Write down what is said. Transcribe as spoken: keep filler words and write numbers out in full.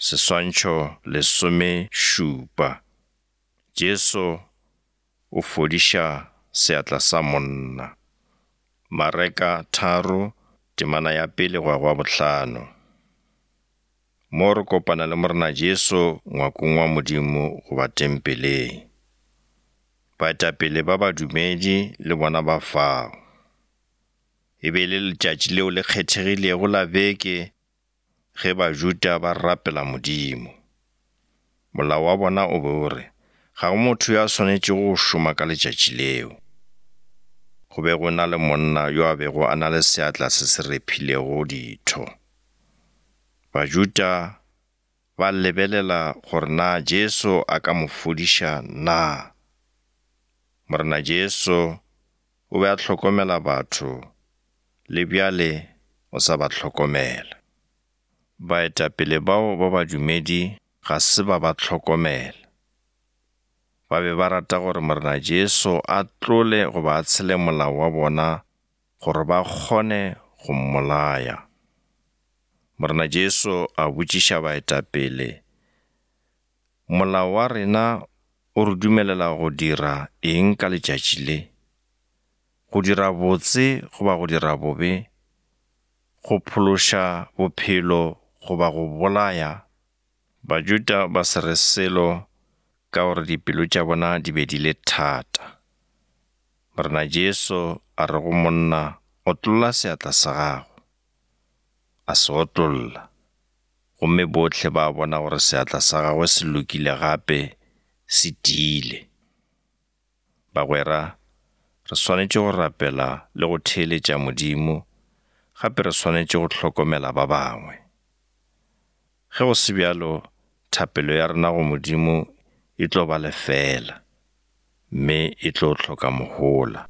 Seswantšho lesomešupa. Jesu o fodiša seatla sa monna. Mareka tharo, temana ya pele go ya go ya bohlano. Mo re kopana le Morena Jesu ngwakong wa Modimo goba tempeleng. Baetapele ba badumedi le bona ba fao. E be e le letšatši leo le kgethegilego la beke ge Bajuda ba rapela Modimo. Molao wa bona o be o re, ga go motho yo a swanetšego go šoma ka letšatši leo. Go be go na le monna yo a bego a na le seatla se se rephilego ditho. Bajuda ba lebelela gore na Jesu a ka mo fodiša na. Morena Jesu o be a hlokomela batho, le bjale o sa ba hlokomela. Baetapele bao ba badumedi ga se ba ba hlokomela. Ba be ba rata gore Morena Jesu a tlole goba a tshele molao wa bona gore ba kgone go mmolaya. Morena Jesu a botšiša baetapele, molao wa rena o re dumelela go dira eng ka letšatši le? Go dira botse goba go dira bobe? Go phološa bophelo goba go bolaya? Bajuda ba se re selo ka gore dipelo tša bona di be di le thata. Morena Jesu a re go monna, otlolla seatla sa gago. A se otlolla, gomme bohle ba bona gore seatla sa gagwe se lokile gape se tiile. Bagwera, re swanetše go rapela le go theeletša Modimo, gape re swanetše go hlokomela ba bangwe. Ge go se bjalo, thapelo ya rena go Modimo e tlo ba lefela, mme e tlo hloka mohola.